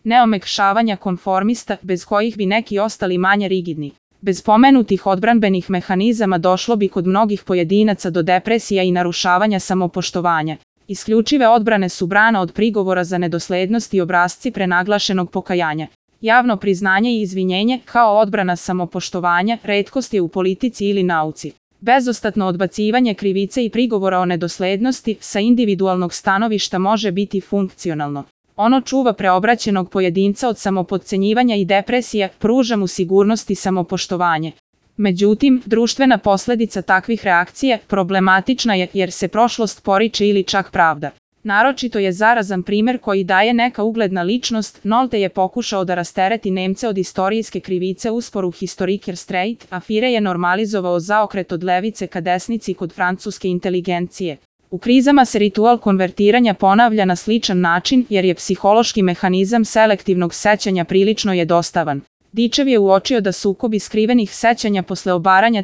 neomekšavanja konformista, bez kojih bi neki ostali manje rigidni. Bez pomenutih odbranbenih mehanizama došlo bi kod mnogih pojedinaca do depresija i narušavanja samopoštovanja. Isključive odbrane su brana od prigovora za nedoslednost i obrasci prenaglašenog pokajanja. Javno priznanje i izvinjenje, kao odbrana samopoštovanja, retkost je u politici ili nauci. Bezostatno odbacivanje krivice i prigovora o nedoslednosti sa individualnog stanovišta može biti funkcionalno. Ono čuva preobraćenog pojedinca od samopodcenjivanja i depresija, pruža mu sigurnost i samopoštovanje. Međutim, društvena posledica takvih reakcija problematična je jer se prošlost poriče ili čak pravda. Naročito je zarazan primjer koji daje neka ugledna ličnost. Nolte je pokušao da rastereti Nemce od istorijske krivice u sporu Historiker Streit, a Fire je normalizovao zaokret od levice ka desnici kod francuske inteligencije. U krizama se ritual konvertiranja ponavlja na sličan način jer je psihološki mehanizam selektivnog sećanja prilično jednostavan. Dičev je uočio da sukobi skrivenih sećanja posle obaranja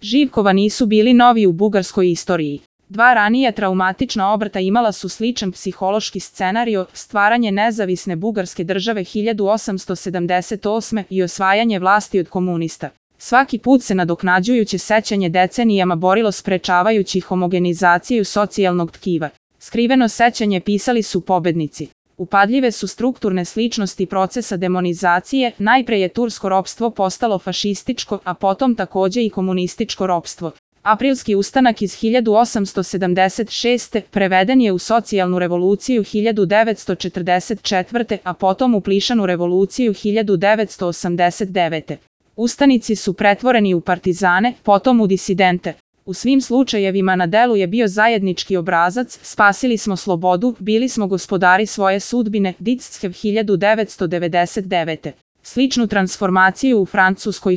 Živkova nisu bili novi u bugarskoj istoriji. Dva ranija traumatična obrata imala su sličan psihološki scenario, stvaranje nezavisne bugarske države 1878. i osvajanje vlasti od komunista. Svaki put se nadoknađujuće sećanje decenijama borilo sprečavajući homogenizaciju socijalnog tkiva. Skriveno sećanje pisali su pobednici. Upadljive su strukturne sličnosti procesa demonizacije, najpre je tursko ropstvo postalo fašističko, a potom takođe i komunističko ropstvo. Aprilski ustanak iz 1876. preveden je u socijalnu revoluciju 1944. a potom u plišanu revoluciju 1989. Ustanici su pretvoreni u partizane, potom u disidente. U svim slučajevima na delu je bio zajednički obrazac, spasili smo slobodu, bili smo gospodari svoje sudbine, Dictshev 1999. Sličnu transformaciju u Francuskoj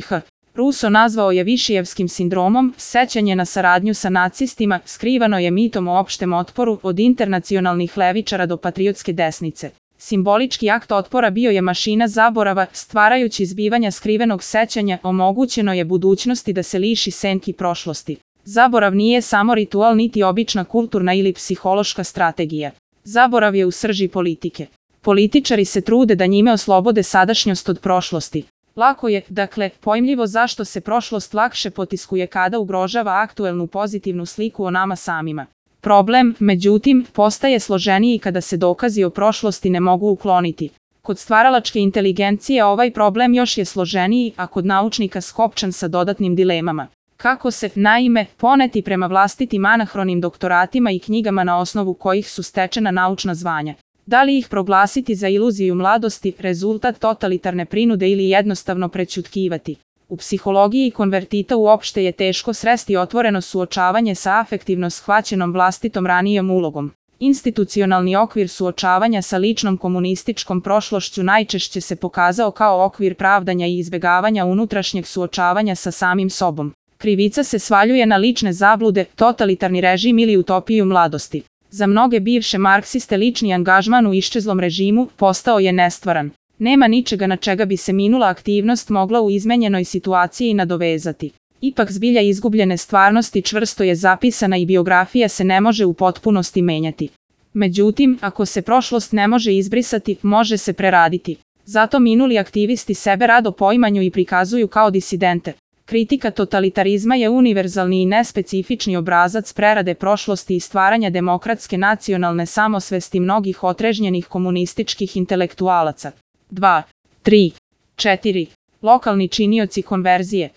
Rousseau nazvao je Višijevskim sindromom, sećanje na saradnju sa nacistima, skrivano je mitom o opštem otporu od internacionalnih levičara do patriotske desnice. Simbolički akt otpora bio je mašina zaborava, stvarajući zbivanja skrivenog sećanja, omogućeno je budućnosti da se liši senki prošlosti. Zaborav nije samo ritual niti obična kulturna ili psihološka strategija. Zaborav je u srži politike. Političari se trude da njime oslobode sadašnjost od prošlosti. Lako je, dakle, pojmljivo zašto se prošlost lakše potiskuje kada ugrožava aktuelnu pozitivnu sliku o nama samima. Problem, međutim, postaje složeniji kada se dokazi o prošlosti ne mogu ukloniti. Kod stvaralačke inteligencije ovaj problem još je složeniji, a kod naučnika skopčan sa dodatnim dilemama. Kako se, naime, poneti prema vlastitim anahronim doktoratima i knjigama na osnovu kojih su stečena naučna zvanja? Da li ih proglasiti za iluziju mladosti, rezultat totalitarne prinude ili jednostavno prećutkivati? U psihologiji konvertita uopšte je teško sresti otvoreno suočavanje sa afektivno shvaćenom vlastitom ranijom ulogom. Institucionalni okvir suočavanja sa ličnom komunističkom prošlošću najčešće se pokazao kao okvir pravdanja i izbegavanja unutrašnjeg suočavanja sa samim sobom. Krivica se svaljuje na lične zablude, totalitarni režim ili utopiju mladosti. Za mnoge bivše marksiste lični angažman u iščezlom režimu postao je nestvaran. Nema ničega na čega bi se minula aktivnost mogla u izmenjenoj situaciji nadovezati. Ipak zbilja izgubljene stvarnosti čvrsto je zapisana i biografija se ne može u potpunosti menjati. Međutim, ako se prošlost ne može izbrisati, može se preraditi. Zato minuli aktivisti sebe rado poimanju i prikazuju kao disidente. Kritika totalitarizma je univerzalni i nespecifični obrazac prerade prošlosti i stvaranja demokratske nacionalne samosvesti mnogih otrežnjenih komunističkih intelektualaca. 2, 3, 4. Lokalni činioci konverzije.